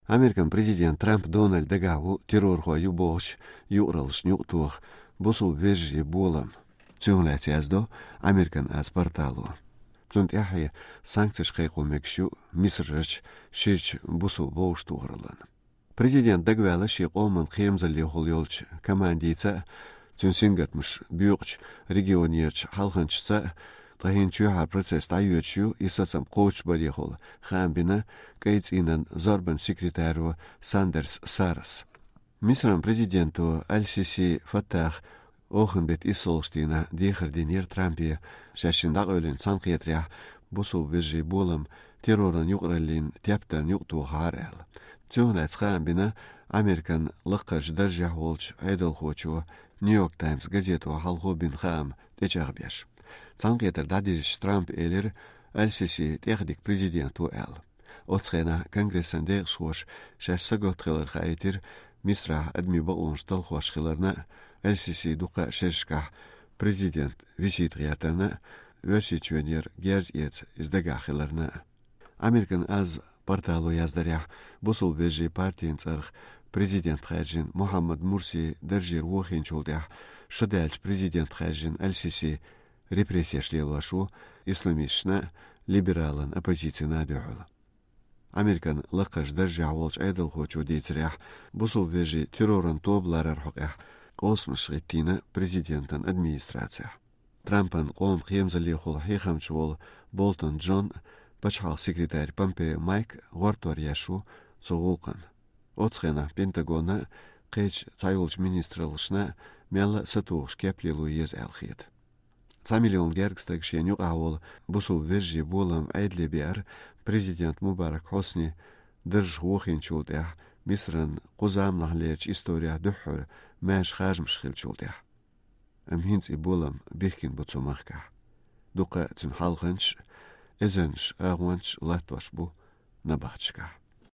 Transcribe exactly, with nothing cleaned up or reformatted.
Американ президент Трамп Дональд дагахь ву террорхой ю бохучу юкъараллашна юкъатоха бусулба вежарий болам. Цунах лаьцна яздо Американ аз портало. Цунна тӀаьхье санкцеш кхайкхо мегаш ю Мисрарчу ширачу бусулба вовшахтохараллина. Президент дагаваьлла шен къоман кхерамзаллехула йолчу командица а, цуьнан сингаттамаш боькъучу регионерчу хьалханчашца а, ткъа хӀинца чоьхьара процесс дӀайоьдуш ю, и сацам кхочушбарехула хаам бина кӀайн цӀийнан зорбан секретаро Сандерс Сарас. Мисран президенто Аль-Сиси Фаттах оханан беттан иссалгӀачу дийнахь дехар динера Трампе, шаьш шена дӀакъевлина цхьаьнакхетарехь бусулба вежарий болам терроран юкъараллина тептарна юкъатохахьара аьлла. Цунах лаьцна хаам бина Американ лакхарчу даржехь волчу Ӏедалхочо Нью-Йорк Таймс газето хьалхо бина хаам тӀечӀагӀбеш. Цхьаьнакхетар дӀадирзича Трампа элира, Аль-Сиси тӀехдика президент ву аьлла. Оцу хенахь Конгрессан декъашхоша шаьш сагатта хилар хаийтира Мисрахь адамийн бакъонаш талхош хиларна а, Аль-Сиси дукха шерашкахь президент визитах гӀертарна а, Оьрсийчоьнера герз эца иза дагахь хиларна а. Американ аз портало яздарехь, бусулба вежарий партин цӀарах президент хаьржина Мухьаммад Мурси даржера вохийначул тӀаьхьа шо даьлча президент хаьржина Аль-Сиси репрессеш лелош ву исламисташна а, либералан оппозицина а дуьхьал. Американ лакхарчу даржехь волчу Ӏедалхочо дийцарехь, бусулба вежарий терроран тоба ларар хьокъехь къовсамаш хӀиттийна президентан администрацехь. Трампан къоман кхерамзаллехула хьехамча волу Болтон Джон а, пачхьалкхан секретарь Помпео Майк а гӀортор еш ву цу гӀуллакхна. Оцу хенахь Пентагонна а, кхечу цхьайолчу министраллашна а мелла а сатухуш кеп лело еза аьлла хета. Цхьа миллион гергга стаг шена юкъахь волу бусулба вежарий болам Ӏедале беара президент Мубарак Хьусни даржах вохийначул тӀаьхьа Мисран кху заманахьлерчу исторехь дуьххьара маьрша харжамаш хиллачул тӀаьхьа. Амма хӀинца и болам бихкина бу цу махкахь. Дукха цуьнан хьалханчаш а, эзарнаш агӀончаш а латтош бу набахташкахь.